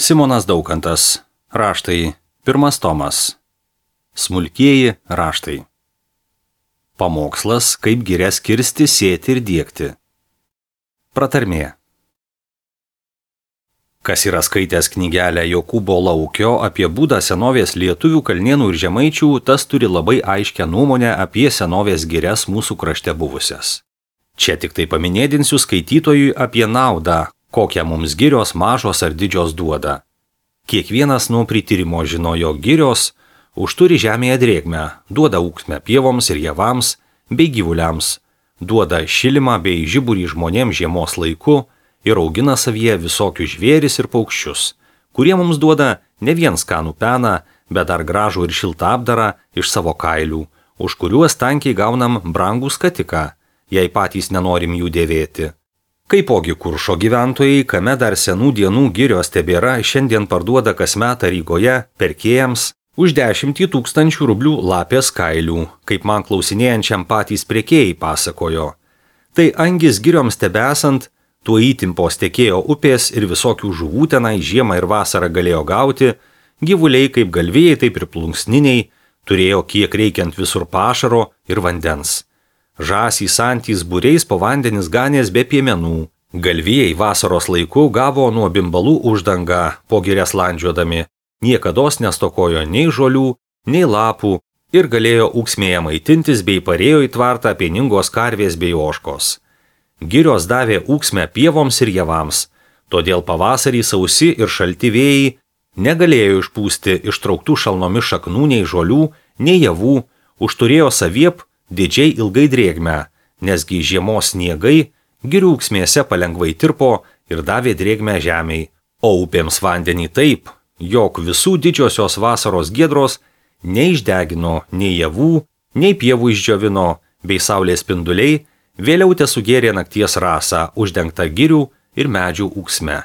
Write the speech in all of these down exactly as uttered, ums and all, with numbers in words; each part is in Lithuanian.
Simonas Daukantas. Raštai. Pirmas tomas. Smulkieji raštai. Pamokslas, kaip girias kirsti, sėti ir diegti. Pratarmė. Kas yra skaitęs knygelę Jokūbo Laukio apie būdą senovės lietuvių, kalnėnų ir žemaičių, tas turi labai aiškę nuomonę apie senovės girias mūsų krašte buvusias. Čia tik tai paminėdinsiu skaitytojui apie naudą, kokią mums girios mažos ar didžios duoda. Kiekvienas nuo prityrimo žino, jog girios užturi žemėje drėgmę, duoda ūksmę pievoms ir javams bei gyvuliams, duoda šilimą bei žiburį žmonėms žiemos laiku ir augina savyje visokius žvėris ir paukščius, kurie mums duoda ne vien skanų peną, bet dar gražų ir šiltą apdarą iš savo kailių, už kuriuos tankiai gaunam brangų skatiką, jei patys nenorim jų dėvėti. Kaipogi Kuršo gyventojai, kame dar senų dienų girios tebėra, šiandien parduoda kasmet Rygoje perkėjams už dešimtį tūkstančių rublių lapės kailių, kaip man klausinėjančiam patys prekėjai pasakojo. Tai angis girioms tebesant, tuo įtimpos tekėjo upės ir visokių žuvų tenai žiemą ir vasarą galėjo gauti, gyvuliai kaip galvijai, taip ir plunksniniai, turėjo kiek reikiant visur pašaro ir vandens. Žąsys antys būriais po vandenis ganės be piemenų. Galvijai vasaros laiku gavo nuo bimbalų uždangą po girias landžiodami. Niekados nestokojo nei žolių, nei lapų ir galėjo ūksmėje maitintis bei parėjo į tvartą pieningos karvės bei ožkos. Girios davė ūksmę pievoms ir javams, todėl pavasarį sausi ir šalti vėjai negalėjo išpūsti ištrauktų šalnomis šaknų nei žolių, nei javų, užturėjo saviep didžiai ilgai drėgmę, nesgi žiemos sniegai girių ūksmėse palengvai tirpo ir davė drėgmę žemei, o upėms vandenį taip, jog visų didžiosios vasaros giedros neišdegino nei javų, nei pievų išdžiovino, bei saulės spinduliai vėliau tesugėrė nakties rasą uždengtą girių ir medžių ūksme.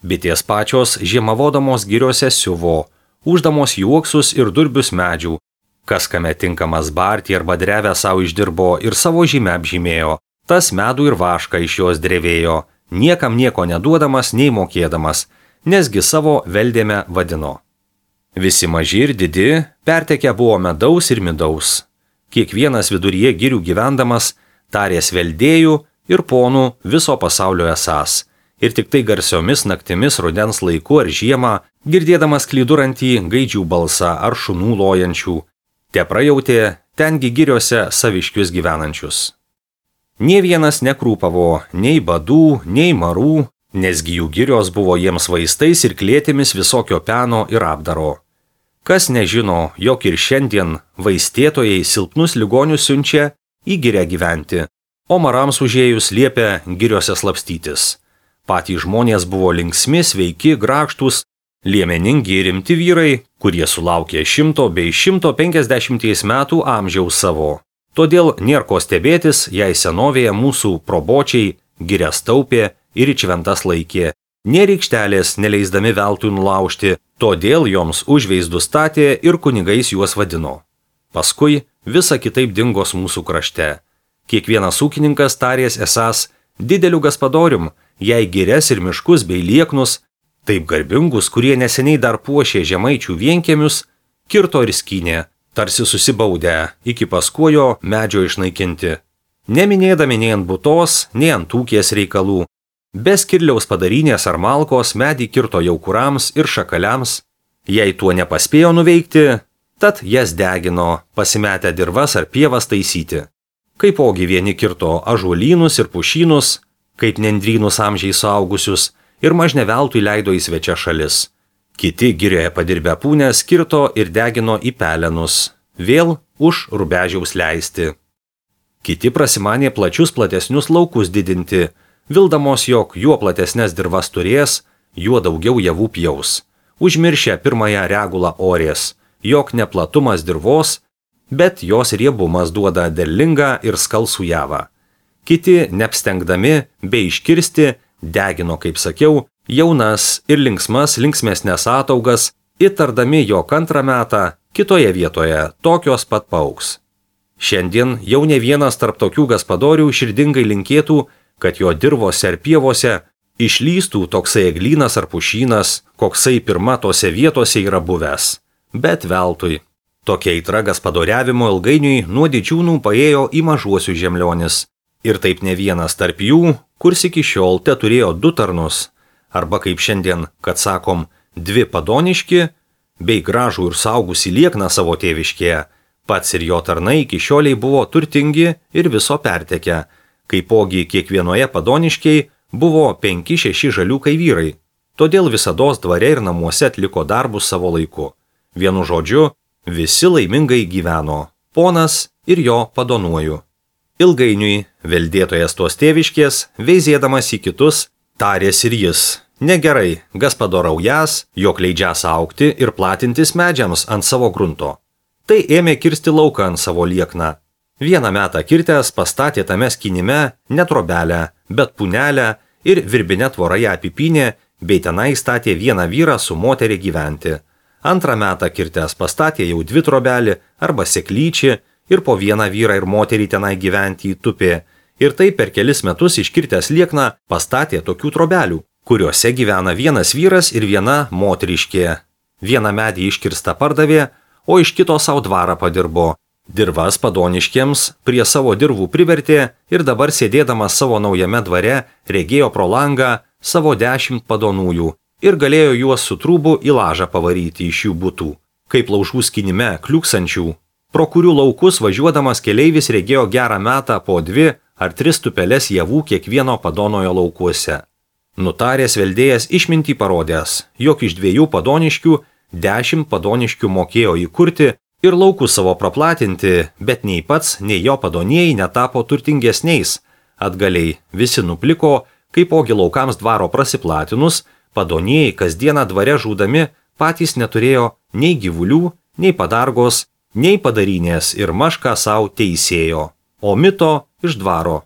Bitės pačios žiemavodamos giriose siuvo, uždamos juoksus ir durbius medžių, kas kame tinkamas barti arba drevę savo išdirbo ir savo žymę apžymėjo, tas medų ir vašką iš jos drevėjo, niekam nieko neduodamas nei mokėdamas, nesgi savo veldėme vadino. Visi maži ir didi pertekę buvo medaus ir midaus. Kiekvienas viduryje girių gyvendamas tarės veldėjų ir ponų viso pasaulio esąs, ir tik tai garsiomis naktimis rudens laiku ar žiemą, girdėdamas klydurantį gaidžių balsą ar šunų lojančių, te prajautė tengi giriose saviškius gyvenančius. Nė vienas nekrūpavo nei badų, nei marų, nesgi jų girios buvo jiems vaistais ir klėtimis visokio peno ir apdaro. Kas nežino, jog ir šiandien vaistėtojai silpnus ligonius siunčia į girę gyventi, o marams užėjus liepia giriose slapstytis. Patys žmonės buvo linksmi, sveiki, grakštus, liemeningi ir rimti vyrai, kurie sulaukė šimto bei šimto penkiasdešimties metų amžiaus savo. Todėl nėr ko stebėtis, jei senovėje mūsų probočiai girias taupė ir į šventas laikė. Nė rykštelės neleisdami veltui nulaužti, todėl joms užveizdus statė ir kunigais juos vadino. Paskui visa kitaip dingos mūsų krašte. Kiekvienas ūkininkas tarės esąs dideliu gaspadorium, jei girias ir miškus bei lieknus, taip garbingus, kurie neseniai dar puošė žemaičių vienkiemius, kirto ir skynė, tarsi susibaudę, iki paskuojo medžio išnaikinti. Neminėdami nei ant butos, nei ant ūkės reikalų, be skirliaus padarynės ar malkos medį kirto jaukurams ir šakaliams, jei tuo nepaspėjo nuveikti, tad jas degino, pasimetę dirvas ar pievas taisyti. Kaipogi vieni kirto ąžuolynus ir pušynus, kaip nendrynus amžiai suaugusius, ir mažne veltui leido į svečia šalis. Kiti girioje padirbę pūnės kirto ir degino į pelenus, vėl už rubežiaus leisti. Kiti prasimanė plačius platesnius laukus didinti, vildamos, jog juo platesnės dirvas turės, juo daugiau javų pjaus. Užmiršę pirmąją regulą orės, jog neplatumas dirvos, bet jos riebumas duoda derlingą ir skalsų javą. Kiti, neapstengdami bei iškirsti, degino, kaip sakiau, jaunas ir linksmas linksmesnės ataugas, įtardami, jog antrą metą kitoje vietoje tokios pat paaugs. Šiandien jau ne vienas tarp tokių gaspadorių širdingai linkėtų, kad jo dirvose ar pievose Išlystų toksai eglynas ar pušynas, koksai pirma tose vietose yra buvęs. Bet veltui. Tokia aitra gaspadoriavimo ilgainiui nuo didžiūnų paėjo į mažuosius žemlionis. Ir taip ne vienas tarp jų, kurs iki šiol te turėjo du tarnus, arba kaip šiandien, kad sakom, dvi padoniški, bei gražų ir saugusį liekną savo tėviškėje, pats ir jo tarnai iki šioliai buvo turtingi ir viso pertekę, kaipogi kiekvienoje padoniškiai buvo penki šeši žaliukai vyrai, todėl visados dvare ir namuose atliko darbus savo laiku. Vienu žodžiu, visi laimingai gyveno, ponas ir jo padonuoju. Ilgainiui, veldėtojas tos tėviškės, veizėdamas į kitus, tarės ir jis, negerai, gaspadoraujas, jog leidžias augti ir platintis medžiams ant savo grunto. Tai ėmė kirsti lauką ant savo liekną. Vieną metą kirtęs pastatė tame skynime ne trobelę, bet punelę ir virbinę tvorą ją apipynė, bei tenai statė vieną vyrą su moterį gyventi. Antrą metą kirtęs pastatė jau dvi trobelį arba seklyčių ir po vieną vyrą ir moterį tenai gyventi įtupė. Ir tai per kelis metus iškirtęs liekną pastatė tokių trobelių, kuriuose gyvena vienas vyras ir viena moteriškė. Vieną medį iškirstą pardavė, o iš kito savo dvarą padirbo. Dirvas padoniškiems prie savo dirvų privertė ir dabar sėdėdamas savo naujame dvare regėjo pro langą savo dešimt padonųjų ir galėjo juos su trūbu į lažą pavaryti iš jų butų, kaip laužų skynime kliuksančių, pro kurių laukus važiuodamas keleivis regėjo gerą metą po dvi ar tris tupeles javų kiekvieno padonojo laukuose. Nutaręs veldėjas išmintį parodęs, jog iš dviejų padoniškių dešimt padoniškių mokėjo įkurti ir laukus savo praplatinti, bet nei pats, nei jo padonieji netapo turtingesniais. Atgaliai visi nupliko, kaipogi laukams dvaro prasiplatinus, padonieji kasdieną dvare žūdami patys neturėjo nei gyvulių, nei padargos, nei padarinės ir mašką savo teisėjo, o mito iš dvaro.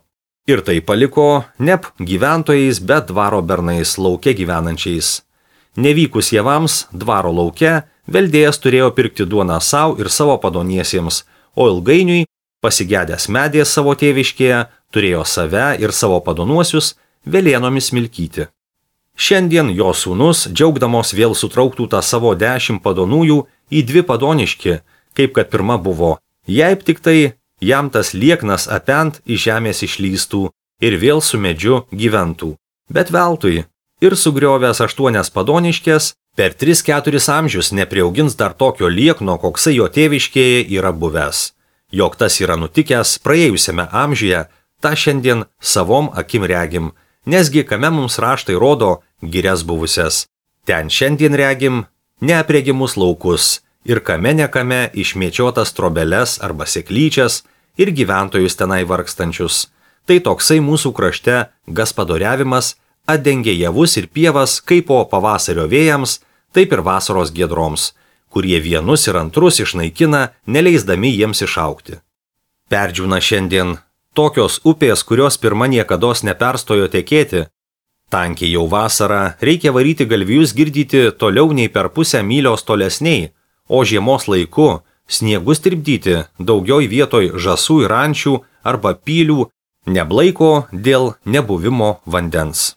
Ir tai paliko nep gyventojais, bet dvaro bernais lauke gyvenančiais. Nevykus javams dvaro lauke, veldėjas turėjo pirkti duoną savo ir savo padoniesiems, o ilgainiui, pasigedęs medės savo tėviškėje, turėjo save ir savo padonuosius velėnomis milkyti. Šiandien jo sūnus, džiaugdamos vėl sutrauktų tą savo dešimt padonųjų į dvi padoniški, kaip kad pirma buvo, jei tik tai jam tas lieknas apent iš žemės išlystų ir vėl su medžiu gyventų. Bet veltui, ir sugriovęs aštuonias padoniškės, per tris keturis amžius nepriaugins dar tokio liekno, koksai jo tėviškėje yra buvęs. Jog tas yra nutikęs praėjusiame amžiuje, tą šiandien savom akim regim, nesgi kame mums raštai rodo girias buvusias. Ten šiandien regim neapregimus laukus ir kame nekame išmėčiotas trobeles arba seklyčias ir gyventojus tenai vargstančius. Tai toksai mūsų krašte gaspadoriavimas atdengia javus ir pievas kaip po pavasario vėjams, taip ir vasaros giedroms, kurie vienus ir antrus išnaikina, neleisdami jiems išaugti. Perdžiūna šiandien tokios upės, kurios pirma niekados neperstojo tekėti. Tankiai jau vasarą reikia varyti galvijus girdyti toliau nei per pusę mylios tolesniai, o žiemos laiku sniegus tirpdyti daugiau vietoj žąsų ir ančių arba pylių, neblaiko dėl nebuvimo vandens.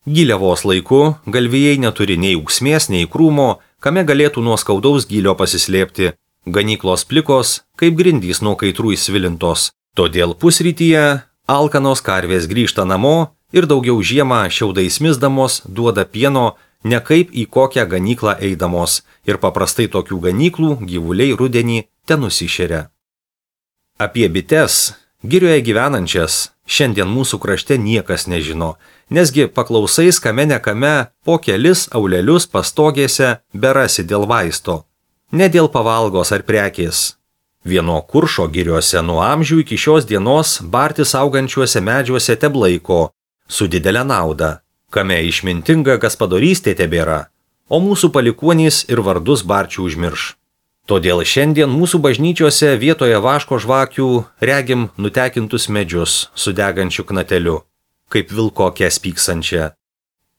Giliavos laiku galvijai neturi nei ūksmės, nei krūmo, kame galėtų nuo skaudaus gylio pasislėpti, ganyklos plikos, kaip grindys nuo kaitrų įsvilintos. Todėl pusrytyje alkanos karvės grįžta namo ir daugiau žiemą šiaudais misdamos duoda pieno, ne kaip į kokią ganyklą eidamos, ir paprastai tokių ganyklų gyvuliai rudenį ten nusišeria. Apie bites, girioje gyvenančias, šiandien mūsų krašte niekas nežino, nesgi paklausais kame nekame po kelis aulelius pastogėse berasi dėl vaisto, ne dėl pavalgos ar prekės. Vieno kuršo giriuose nuo amžių iki šios dienos bartis augančiuose medžiuose teblaiko, su didelė nauda, kame išmintinga gaspadorystė tebėra, o mūsų palikuonys ir vardus barčių užmirš. Todėl šiandien mūsų bažnyčiose vietoje vaško žvakių regim nutekintus medžius su degančiu knateliu, kaip vilkokę spyksančią.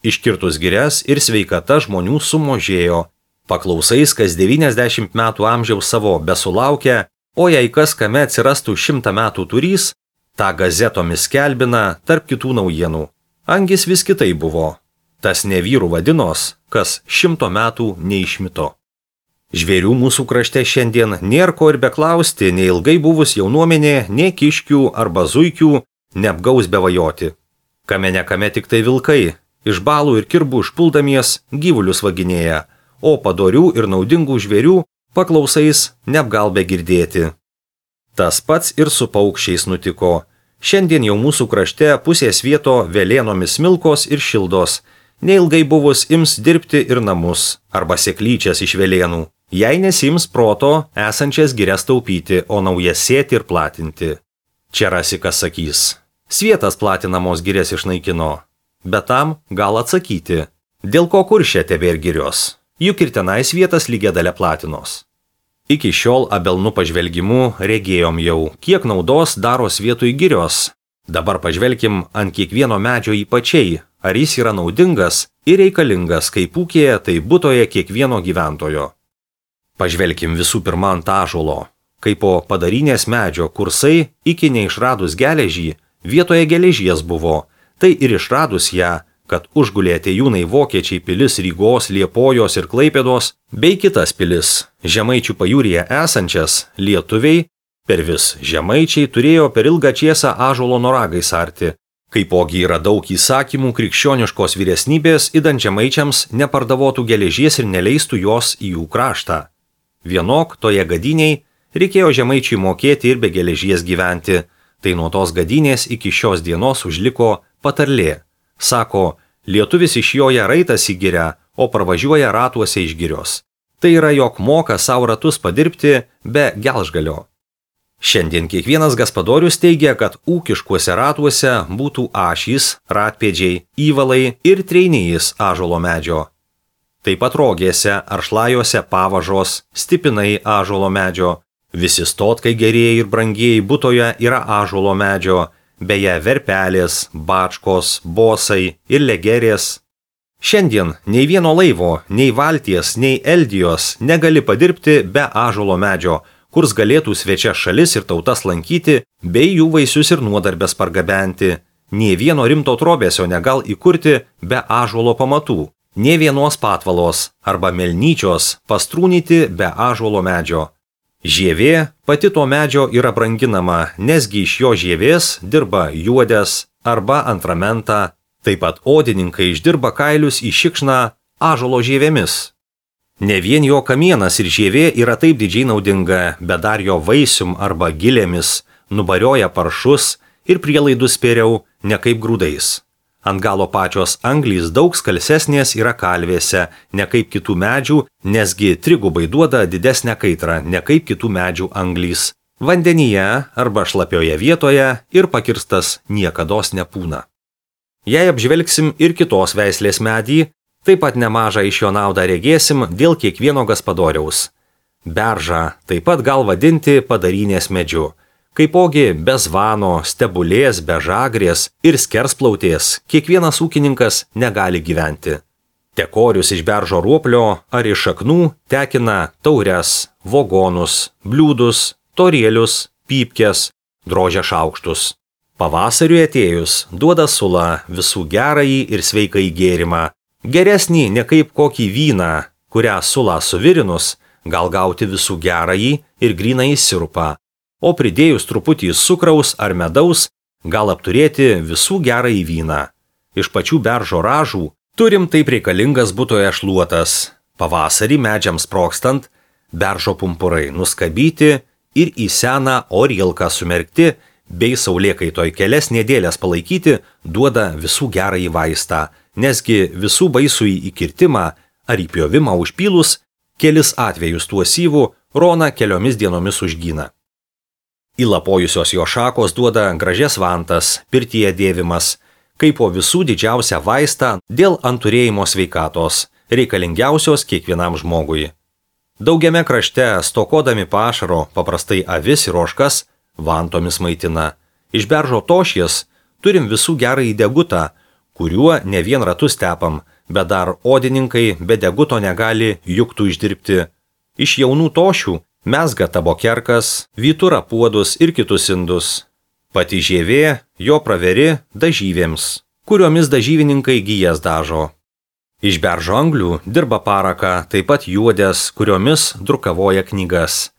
Iškirtus girias ir sveikata žmonių sumažėjo, paklausais kas devyniasdešimt metų amžiaus savo besulaukia, o jei kas kame atsirastų šimtą metų turys, tą gazetomis skelbina tarp kitų naujienų. Angis vis kitai buvo. Tas ne vyrų vadinos, kas šimto metų neišmito. Žvėrių mūsų krašte šiandien nėra ko ir beklausti, nei ilgai buvus jaunuomenė, nei kiškių arba zuikių neapgaus bevajoti. Kame ne kame tik tai vilkai, iš balų ir kirbų išpuldamies gyvulius vaginėja, o padorių ir naudingų žvėrių paklausais neapgalbė girdėti. Tas pats ir su paukščiais nutiko. Šiandien jau mūsų krašte pusės vieto velėnomis smilkos ir šildos, neilgai buvus ims dirbti ir namus arba seklyčias iš velėnų, jei nesims proto esančias girias taupyti, o naujas sėti ir platinti. Čia rasi, kas sakys. Svietas platinamos girias išnaikino, bet tam gal atsakyti, dėl ko kuršė tebėr girios, juk ir tenais vietas lygiadale platinos. Iki šiol abelnų pažvelgimu regėjom jau, kiek naudos daro vietoj girios. Dabar pažvelkim ant kiekvieno medžio ypačiai, ar jis yra naudingas ir reikalingas kaip ūkėje, tai butoje kiekvieno gyventojo. Pažvelkim visų pirma ant ąžuolo. Kaip po padarinės medžio kursai iki neišradus geležį vietoje geležies buvo, tai ir išradus ją, kad užgulė atėjūnai vokiečiai pilis Rygos, Liepojos ir Klaipėdos, bei kitas pilis, Žemaičių pajūryje esančias, lietuviai, per vis žemaičiai turėjo per ilgą čiesą ąžuolo noragais arti. Kaipogi yra daug įsakymų krikščioniškos vyresnybės, idant žemaičiams nepardavotų geležies ir neleistų jos į jų kraštą. Vienok toje gadiniai reikėjo žemaičiui mokėti ir be geležies gyventi, tai nuo tos gadinės iki šios dienos užliko patarlė. Sako, lietuvis iš joje raitas į girę, o parvažiuoja ratuose iš girios. Tai yra, jog moka savo ratus padirbti be gelžgalio. Šiandien kiekvienas gaspadorius teigia, kad ūkiškuose ratuose būtų ašys, ratpėdžiai, įvalai ir treinėjais ąžuolo medžio. Taip pat rogėse ar šlajuose pavažos, stipinai ąžuolo medžio. Visi stotkai gerieji ir brangieji butoje yra ąžuolo medžio, beje verpelės, bačkos, bosai ir legerės. Šiandien nei vieno laivo, nei valties, nei eldijos negali padirbti be ąžuolo medžio, kurs galėtų svečias šalis ir tautas lankyti, bei jų vaisius ir nuodarbės pargabenti. Nė vieno rimto trobėsio negal įkurti be ąžuolo pamatų, nė vienos patvalos arba melnyčios pastrūnyti be ąžuolo medžio. Žievė pati to medžio yra branginama, nesgi iš jo žievės dirba juodės arba antramentą, taip pat odininkai išdirba kailius į šikšną ąžuolo žievėmis. Ne vien jo kamienas ir žievė yra taip didžiai naudinga, bet dar jo vaisium arba gilėmis nubarioja paršus ir prielaidus spėriau ne kaip grūdais. Ant galo pačios anglys daug skalsesnės yra kalvėse, ne kaip kitų medžių, nesgi trigubai duoda didesnę kaitrą, ne kaip kitų medžių anglys. Vandenyje arba šlapioje vietoje ir pakirstas niekados nepūna. Jei apžvelgsim ir kitos veislės medį, taip pat nemažą iš jo naudą regėsim dėl kiekvieno gaspadoriaus. Beržą taip pat gal vadinti padarinės medžiu. Kaipogi be zvano, stebulės, be žagrės ir skersplautės kiekvienas ūkininkas negali gyventi. Tekorius iš beržo ruoplio ar iš šaknų tekina taures, vogonus, bliūdus, torėlius, pypkes, drožia šaukštus. Pavasariui atėjus duoda sulą visų gerąjį ir sveikai gėrimą. Geresnį ne kaip kokį vyną, kurią sulą suvirinus, gal gauti visų gerąjį ir grynąjį sirupą. O pridėjus truputį cukraus ar medaus, gal apturėti visų gerąjį vyną. Iš pačių beržo ražų turim taip reikalingas butoje šluotas. Pavasarį medžiams sprogstant, beržo pumpurai nuskabyti ir į seną orielką sumerkti, bei saulėkaitoj kelias nedėlės palaikyti, duoda visų gerąjį vaistą, nesgi visų baisųjį įkirtimą ar įpjovimą užpylus, kelis atvejus tuo syvų Rona keliomis dienomis užgyna. Įlapojusios jo šakos duoda gražias vantas, pirtyje dėvimas, kaip po visų didžiausią vaistą dėl anturėjimo sveikatos, reikalingiausios kiekvienam žmogui. Daugiame krašte, stokodami pašaro, paprastai avis ir ožkas, vantomis maitina. Iš beržo tošies turim visų gerąjį degutą, kuriuo ne vien ratus tepam, bet dar odininkai be deguto negali juktų išdirbti. Iš jaunų tošių mezga tabokerkas, vytura puodus ir kitus indus. Pati žievė jo praveri dažyvėms. kuriomis dažyvininkai gijas dažo. Iš beržo anglių dirba paraka, taip pat juodės, kuriomis drukavoja knygas.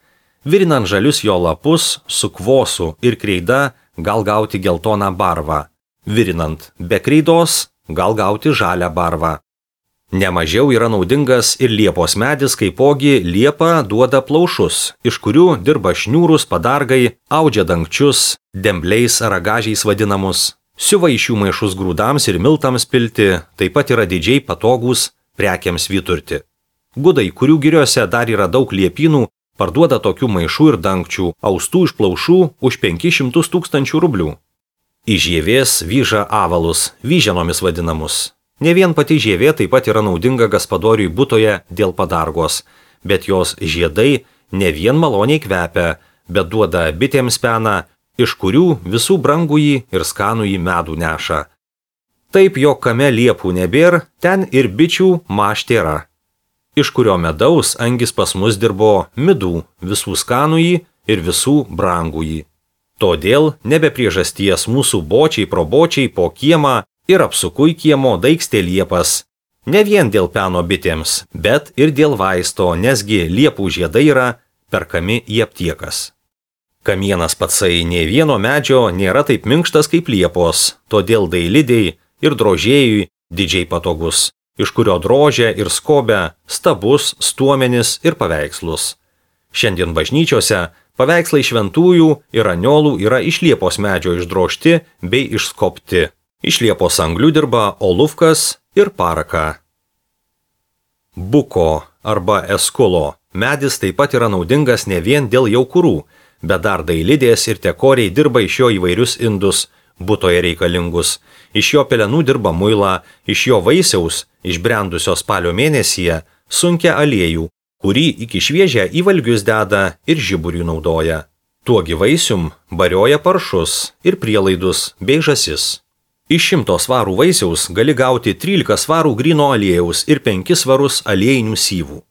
Virinant žalius jo lapus su kvosu ir kreida gal gauti geltoną barvą. Virinant be kreidos gal gauti žalią barvą. Nemažiau yra naudingas ir liepos medis, kaipogi liepa duoda plaušus, iš kurių dirba šniūrus, padargai, audžia dangčius, dembliais ar ragažiais vadinamus, siuva iš jų maišus grūdams ir miltams pilti, taip pat yra didžiai patogūs prekiams vyturti. Gudai, kurių giriose dar yra daug liepynų, parduoda tokių maišų ir dangčių, austų iš plaušų už penkis šimtus tūkstančių rublių. Iš žievės vyža avalus, vyženomis vadinamus. Ne vien pati žievė taip pat yra naudinga gaspadoriui butoje dėl padargos, bet jos žiedai ne vien maloniai kvepia, bet duoda bitėms peną, iš kurių visų brangųjį ir skanųjį medų neša. Taip, jog kame liepų nebėr, ten ir bičių maštėra, iš kurio medaus angis pas mus dirbo midų, visų skanųjį ir visų brangųjį. Todėl nebe priežasties mūsų bočiai probočiai po kiemą ir apsukui kiemo daikstė liepas. Ne vien dėl peno bitėms, bet ir dėl vaisto, nesgi liepų žiedai yra perkami į aptiekas. Kamienas patsai nei vieno medžio nėra taip minkštas kaip liepos, todėl dailidei ir drožėjui didžiai patogus, iš kurio drožia ir skobia stabus, stuomenis ir paveikslus. Šiandien bažnyčiose paveikslai šventųjų ir aniolų yra iš liepos medžio išdrožti bei išskobti. Iš liepos anglių dirba olufkas ir paraka. Buko arba eskulo medis taip pat yra naudingas ne vien dėl jaukurų, bet dar dailidės ir tekoriai dirba iš jo įvairius indus, butoje reikalingus. Iš jo pelenų dirba muilą, iš jo vaisiaus, išbrendusio spalio mėnesyje, sunkia aliejų, kurį iki šviežią į valgius deda ir žiburių naudoja. Tuogi vaisium barioja paršus ir prielaidus bei žąsis. Iš šimto svarų vaisiaus gali gauti trylika svarų gryno aliejaus ir penkis svarus aliejinių syvų.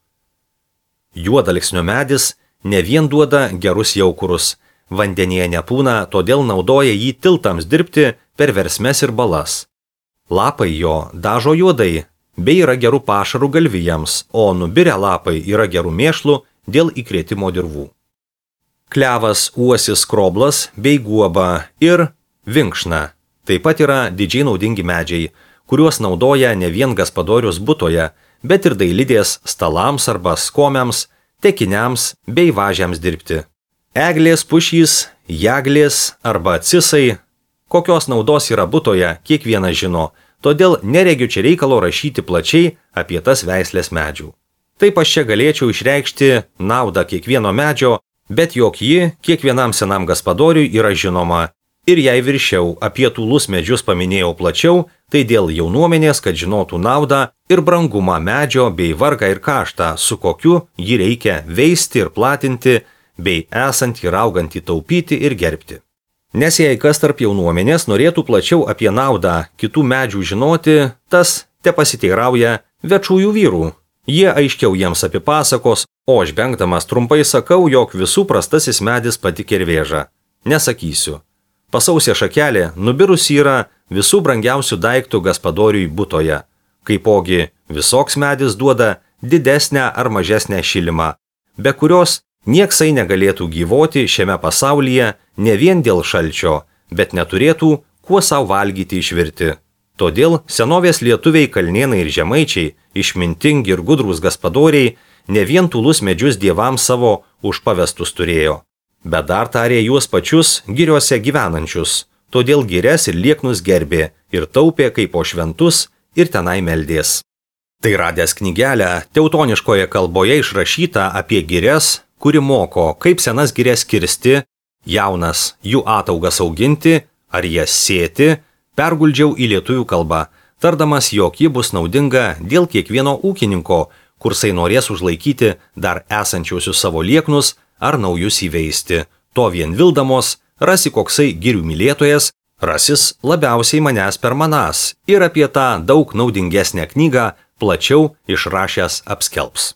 Juodalksnio medis ne vien duoda gerus jaukurus, vandenyje nepūna, todėl naudoja jį tiltams dirbti per versmes ir balas. Lapai jo dažo juodai, bei yra gerų pašarų galvijams, o nubirę lapai yra gerų mėšlų dėl įkrėtimo dirvų. Klevas, uosis, kroblas bei guoba ir vinkšna. Taip pat yra didžiai naudingi medžiai, kuriuos naudoja ne vien gaspadorius butoje, bet ir dailidės stalams arba skomiams, tekiniams bei važiams dirbti. Eglės, pušys, jaglės arba cisai, kokios naudos yra butoje, kiekvienas žino, todėl neregiu čia reikalo rašyti plačiai apie tas veislės medžių. Taip aš čia galėčiau išreikšti naudą kiekvieno medžio, bet jog ji kiekvienam senam gaspadoriui yra žinoma. Ir jei viršiau apie tūlus medžius paminėjau plačiau, tai dėl jaunuomenės, kad žinotų naudą ir brangumą medžio bei vargą ir kaštą, su kokiu jį reikia veisti ir platinti, bei esant ir augantį taupyti ir gerbti. Nes jei kas tarp jaunuomenės norėtų plačiau apie naudą kitų medžių žinoti, tas te pasiteirauja večųjų vyrų. Jie aiškiau jiems apipasakos, o aš bengdamas trumpai sakau, jog visų prastasis medis pati kervėža. Nesakysiu. Pasausė šakelė nubirus yra visų brangiausių daiktų gaspadoriui butoje. Kaipogi visoks medis duoda didesnę ar mažesnę šilimą, be kurios nieksai negalėtų gyvoti šiame pasaulyje ne vien dėl šalčio, bet neturėtų kuo savo valgyti išvirti. Todėl senovės lietuviai kalnėnai ir žemaičiai, išmintingi ir gudrūs gaspadoriai, ne vien tūlus medžius dievams savo užpavestus turėjo, bet dar tarė juos pačius giriuose gyvenančius, todėl girias ir lieknus gerbė ir taupė kaip po šventus ir tenai meldės. Tai radęs knygelę teutoniškoje kalboje išrašyta apie girias, kuri moko, kaip senas girias kirsti, jaunas jų ataugas auginti ar jas sėti, perguldžiau į lietuvių kalbą, tardamas, jog ji bus naudinga dėl kiekvieno ūkininko, kursai norės užlaikyti dar esančiausius savo lieknus ar naujus įveisti. To vien vildamos, rasi koksai girių mylėtojas, rasis labiausiai manęs per manas ir apie tą daug naudingesnę knygą plačiau išrašęs apskelbs.